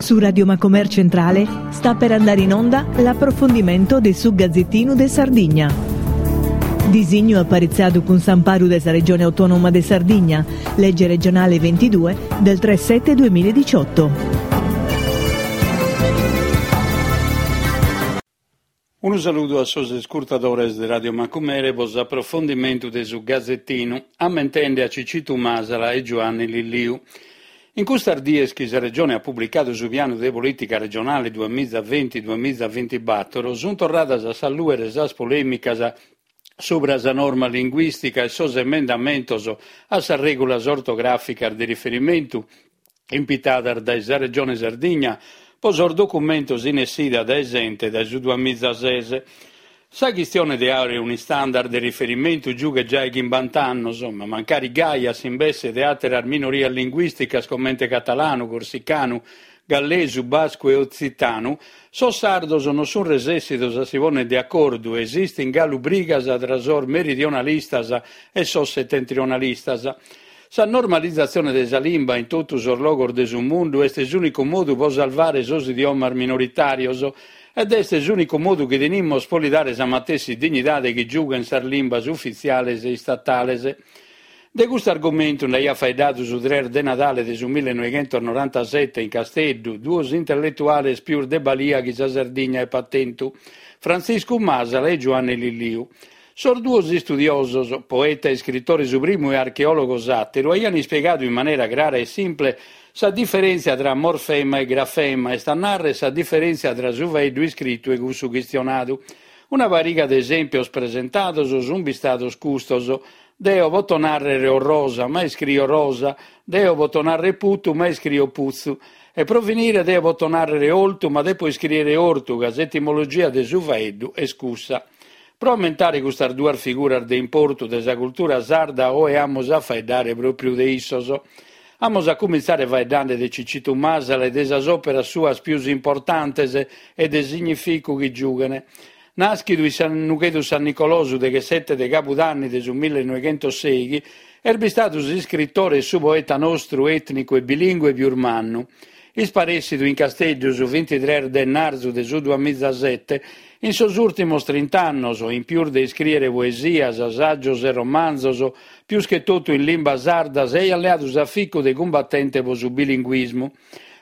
Su Radio Macomer Centrale sta per andare in onda l'approfondimento de su Gazzettinu de Sardigna. Disignu aparitzadu cun s'amparu de sa Regione Autonoma de Sardigna, legge regionale 22 del 3 7 2018. Unu saludu a sos iscurtadores de Radio Macumere pro s'aprofondimentu de su Gazetinu, ammentende a Cicitu Masala e Giuanni Lilliu. In custas dies chi sa Regione at publicadu su pianu de polìtica regionale duamiza venti duamiza bintibator sunt torradas a s'allùere sas polèmicas subra sa norma linguìstica e sos emendamentos a sas règulas ortogràficas de riferimentu impitadas dae sa Regione Sardigna pro sos documentos in essida dae s'ente dae su duamizases. Sa chistione de àere un'istandard de riferimentu giughet giai chimbant'annos, ma mancari gai a s'imbesse de àteras minorias linguìsticas comente catalanu, corsicanu, gallesu, bascu e otzitanu, sos sardos non sunt resèssidos a si pònnere de acordu e esistint galu brigas tra sos meridionalistas e sos setentrionalistas. Sa normalizatzione de sa limba in totu sos logos de su mundu est s'ùnicu modu pro salvare sos idiomas minoritàrios ed est s'ùnicu modu chi tenimus pro li dare sa matessi dignidade chi giughent sas limbas ufitziales e istatales. De custu argumentu nd'aiat faeddadu su tres de Nadale de su millenoighentos-norantasete in Casteddu, duos intelletuales pius de balia chi sa Sardigna epat tentu, Frantziscu Masala e Giuanne Lilliu. Sos duos istudiosos, poeta e iscritore su primu e archeòlogo s'àteru, aian ispiegadu in manera crara e simple sa diferèntzia tra morfema e grafema, est a nàrrere sa diferèntzia tra su faeddu iscritu e cussu chistionadu. Una pariga de esèmpios presentados sunt bistados custos, Deo poto nàrrere orrosa, ma iscrio rosa, deo poto nàrrere putu, ma iscrio putzu. E pro finire deo poto nàrrere oltu, ma depo iscrìere ortu, ca s'etimologia de su faeddu est cussa. Pro ammentare custas duas figuras de importu de sa cultura sarda oe amus a faeddare pròpriu de issos. Amus a cumintzare faeddande de Cicitu Masala e de sas òperas suas pius importantes e de significu chi giughen. Nàschidu in sa Nughedu San Nicolò su deghessete de cabudanni de su millenoighentossèighi, est bistadu s'iscritore e su poeta nostru ètnicu e bilìngue pius mannu. Isparèssidu in Casteddu su bintitres de ennarzu de su duamizasete, in sos ùrtimos trint'annos, in pius de iscrìere poesias, sàgios e romanzos, pius che totu in limba sarda, s'aiat leadu s'aficu de cumbatente pro su bilinguismu.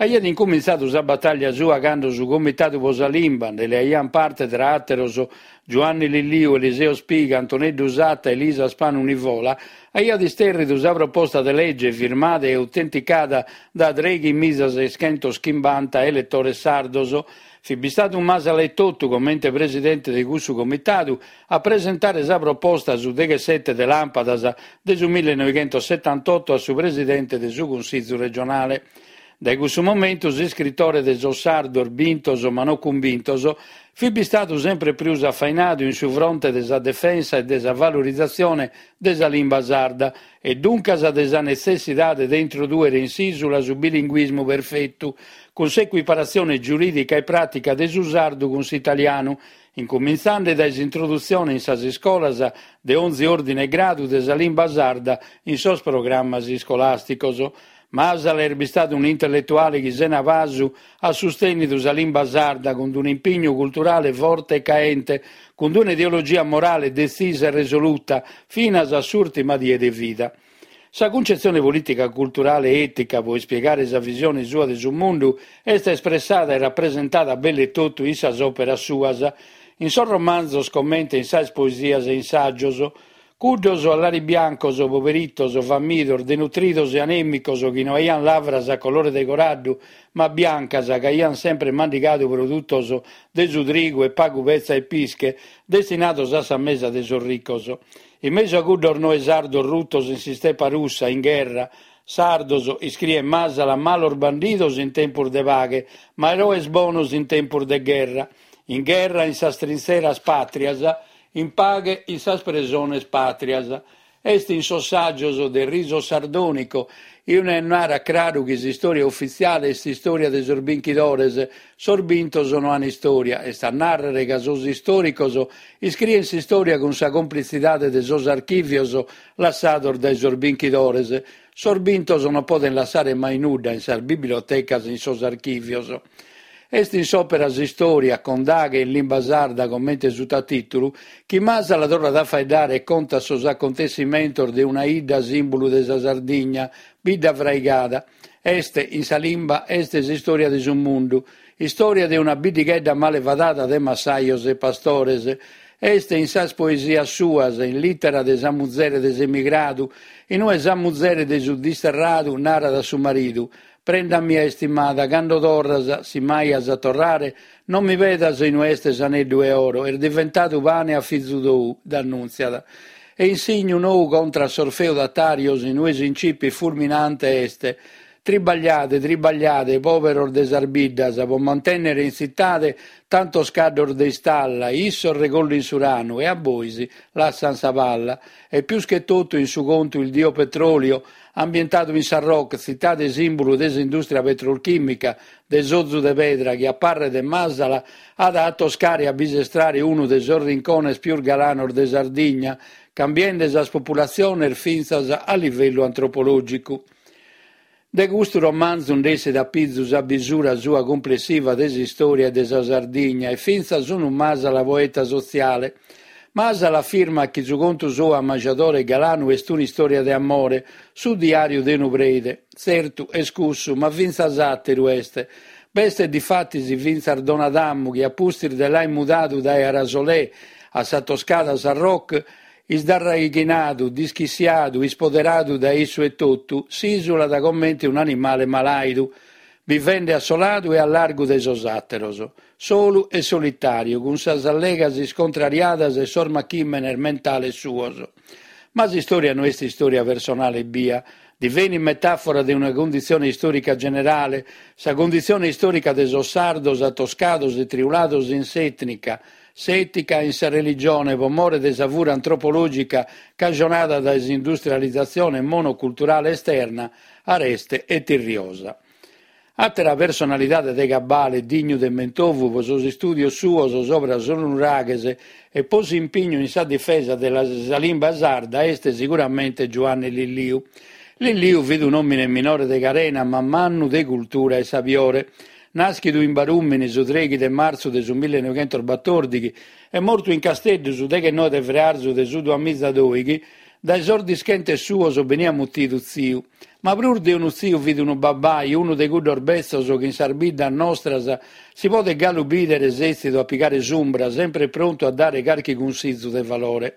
Aiat incumintzadu sa batàllia sua cando su Comitadu pro sa Limba, nde leaiant parte tra àteros Giuanni Lilliu, Eliseo Spiga, Antoneddu Satta e Elisa Spanu Nivola, aiat istèrridu sa proposta de lege firmada e autenticada da trèighimizaseschentoschimbanta eletores sardos. Fit bistadu Masala etotu, comente presidente de cussu comitadu, a presentare sa proposta su deghessete de làmpadas de su millenoighentosetantotto a su presidente de su Cunsìgiu regionale. Dae cussu momentu s'iscritore de sos sardos bintos ma no cumbintos fit bistadu sempre prus afainadu in su fronte de sa defensa e de sa valorizatzione de sa limba sarda e duncas de sa netzessidade de introdùere in s'ìsula su bilinguismu perfetu, cun s'ecuiparatzione giurìdica e pràtica de su sardu cun s'italianu, incumintzande dae s'introdutzione in sas iscolas de onzi òrdine e gradu de sa limba sarda in sos programmas iscolàsticos. Masala est bistadu un'intelletuale chi sena pasu at sustènnidu sa limba sarda cun un'impignu culturale forte e caente, cun un'ideologia morale detzisa e resoluta, finas a s'ùrtima die de vida. Sa cuncetzione polìtica culturale e ètica pro ispiegare sa visione sua de su mundu est espressada e rapresentada belle totu in sas òperas suas, in sos romanzos comente in sas poesias e in sàgios. Cuddos laribiancos, poberitos, famidos, denutridos e anèmicos chi no aiant lavras a colore de coraddu, ma biancas, ca aiant sempre mandigadu produtos de su trigu e pagu petza e pische, destinados a sa mesa de sos ricos. In mesu a cuddos noe sardos rutos in s'istepa russa, in gherra, sardos, iscriet Masala, malos bandidos in tempus de paghe, ma eroes bonos in tempus de gherra. In gherra in sas trintzeras pàtrias, in paghe in sas presones pàtrias. Est in sos sàgios de Riso Sardonico, inue narat craru chi s'istòria ufitziale est s'istòria de sos binchidores, sos bintos no an istòria, est a nàrrere ca sos istòricos iscrien s'istòria cun sa complitzidade de sos archìvios lassados dae sos binchidores. Sos bintos non podent lassare mai nudda in sas bibliotecas e in sos archìvios. Est in s'òpera S'istòria, Condaghe in limba sarda comente sutatìtulu, chi Masala torrat a faeddare e contat sos acontessimentos de una 'idda sìmbulu de sa Sardigna, Biddafraigada. Est, in sa limba, est s'istòria de su mundu. Istòria de una biddighedda male fadada de massajos e pastores. Est in sas poesias suas, in Lìtera de sa muzere de s'emigradu, in ue sa muzere de su disterradu narat a su maridu, Prenda mia istimada, cando torras, si mai as a torrare, non mi pedas inue est s'aneddu 'e oro, est diventadu pane a fizu tou, dd'annùntziat. E in Signu nou contra a sos feudatàrios, in ue s'incipit fulminante est, Tribagliade, tribagliade, pòberos de sas biddas, pro mantènnere in tzitade tantos caddos de istalla, issos regollin su ranu e a bois lassan sa palla. E pius che totu in su contu Il dio petrolio, ambientadu in Sarroch, tzitade sìmbulu de s'indùstria petrolchìmica de s'ozu de pedra chi a parre de Masala at a atoscare e a bisestrare unu de sos rincones pius galanos de Sardigna, cambiende sas populatziones fintzas a livellu antropològicu. De custu romanzu nd'essit a pizu sa bisura sua cumplessiva de s'istòria e de sa Sardigna e fintzas unu Masala poeta sotziale. Masala afirmat chi su contu sou ammajadore e galanu est un'istòria de amore, su diàriu de unu preide. Tzertu, est cussu, ma fintzas àteru est. B'est difatis fintzas Don Adamu chi a pustis de l'aer mudadu dae Arasolè a sa toscada Sarroch, Isdarraighinadu, dischissiadu, ispoderadu dae issu etotu, s'ìsulat comente un'animale malàidu, bivende assoladu e a largu de sos àteros, solu e solitàriu, cun sas allegas iscontrariadas e sos machìmenes mentales suos. Ma s'istòria no est istòria personale ebbia, divenit metàfora de una cunditzione istòrica generale, sa cunditzione istòrica de sos sardos atoscados e triulados in s'ètnica, s'ètica in sa religione pro more de sa fura antropològica cajonada dae s'industrializatzione monoculturale esterna, areste e tirriosa. Àtera personalidade de cabale dignu de mentovu pro sos istùdios suos sobra sos nuraghes e pro s'impignu in sa difesa de sa limba sarda est siguramente Giuanne Lilliu. Lilliu fit un'òmine minore de carena ma mannu de cultura e sabiore. Nàschidu in Barùmini su trèighi de martzu de su millenoghentos-batòrdighi e mortu in Casteddu su deghenoe de frearzu de su duamiza-dòighi, dae sos dischentes suos beniat mutidu tziu. Ma prus de unu tziu fit unu babbai, unu de cuddos betzos chi in sas biddas nostras si podet galu bìdere sètzidu a pigare s'umbra, sempre prontu a dare carchi cunsizu de valore.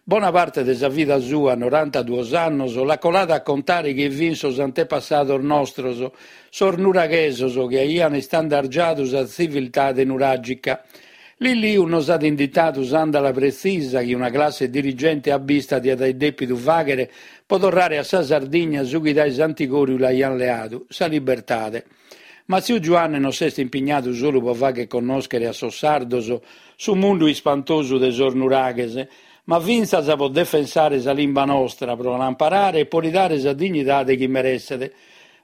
Bona parte de sa vida sua, norantaduos annos, l'at colada a contare chie fin sos antepassados nostros, sos nuraghesos chi aian istandargiadu sa tziviltade nuràgica. Lilliu nos at inditadu s'àndala pretzisa chi una classe dirigente abbista diat aer dèpidu fàghere pro torrare a sa Sardigna su chi dae s'antigòriu l'aian leadu, sa libertade. Ma tziu Giuanne non s'est impignadu solu pro fagher connòschere a sos sardos su mundu ispantosu de sos nuraghes, ma fintzas pro defensare sa limba nostra, pro l'amparare e pro li dare sa dignidade chi meresset.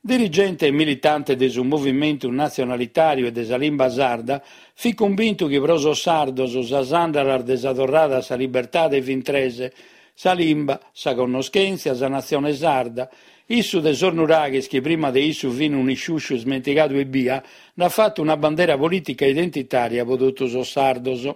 Dirigente e militante de su movimentu natzionalitàriu e de sa limba sarda, fit cumbintu chi pro sos sardos sas àndalas de sa torrada a sa libertade fin tres, sa limba, sa connoschèntzia, sa natzione sarda. Issu de sos nuraghes, chi prima de issu fin un'isciusciu ismentigadu ebbia, nd'at fatu una bandera polìtica e identitària pro totu sos sardos.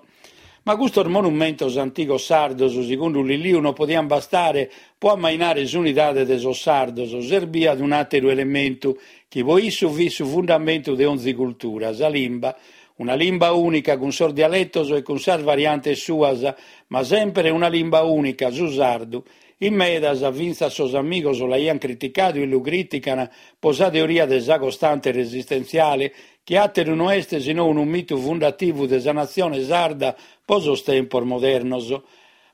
Ma custos monumentos antigos sardos, segundu Lilliu, non podiant bastare pro ammainare s'unidade de sos sardos, serbiat un'àteru elementu, chi pro issu fit su fundamentu de onzi cultura, sa limba. Una limba ùnica cun sos dialetos e cun sas variantes suas, ma semper una limba ùnica, su sardu. In medas, fintzas sos amigos l'aiant criticadu e lu crìtican pro sa teoria de sa costante resistentziale, chi àteru no est si no unu mitu fundativu de sa natzione sarda pro sos tempos modernos.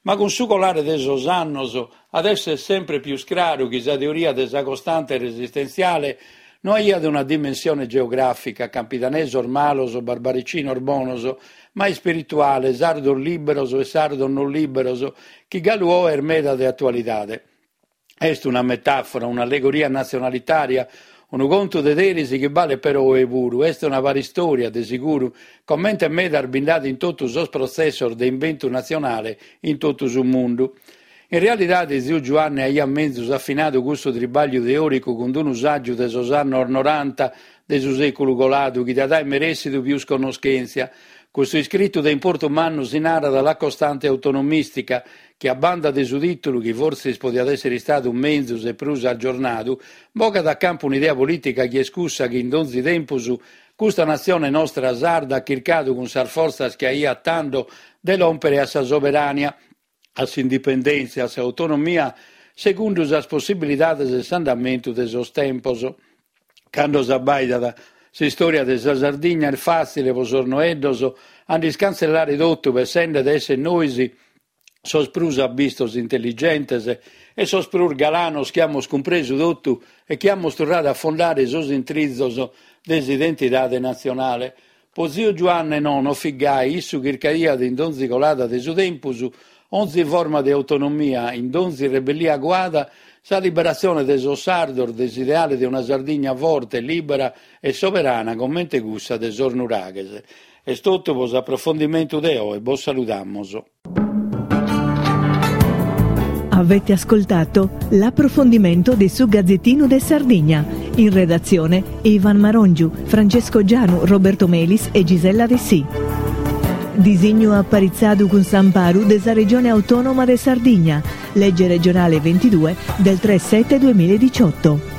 Ma cun su colare de sos annos at èssere sempre pius craru chi sa teoria de sa costante resistentziale no aiat una dimensione geogràfica, campidanesos malos, barbaricinos bonos, ma ispirituale, sardos lìberos e sardos non lìberos, chi galu oe est meda de atualidade. Est una metàfora, un'allegoria natzionalitària, unu contu de deris chi balet però oe puru. Est una paristòria, de siguru, comente medas bi nd'at in totu sos protzessos de imbentu natzionale in totu su mundu. In realidade ziu Giuanne aiat menzus afinadu cussu tribagliu teoricu cun unu saggiu de sos annos noranta de su seculu coladu chi diat aer meressidu pius connoschentzia. Custu iscritu de importu mannu si narat La costante autonomistica, chi a banda de su titulu, chi fortzis podiat esser istadu menzus e prus aggiornadu, bogat a campu un'idea politica chi est cussa chi in donzi tempus custa natzione nostra sarda at chircadu cun sas fortzas chi aiat tando de lòmpere a sa soberania, a s'indipendèntzia, a s'autonomia, segundu sas possibilidades e s'andamentu de sos tempos. Cando s'abbàidat s'istòria de sa Sardigna est fàtzile pro sos noeddos a nd'iscantzellare totu pessende de èssere nois sos prus abbistos intelligentes e sos prus galanos chi amus cumpresu totu e chi amus torradu a fundare sos intrizos de s'identidade natzionale. Po ziu Giuanne no, no fit gai, issu chircaiat in donzi colada de su tempus, onzi forma de autonomia, in donzi rebellia cuada, sa liberatzione de sos sardos de s'ideale de una Sardigna forte, libera e soberana comente cussa de sos nuraghes. Est totu po s'aprofondimentu de oe, bos saludamus. Avete ascoltato l'approfondimento de su Gazzettino de Sardigna. In redazione Ivan Marongiu, Francesco Gianu, Roberto Melis e Gisella Dessì. Disignu aparitzadu cun s'amparu de sa Regione Autonoma de Sardigna, legge regionale 22 del 3 7 2018.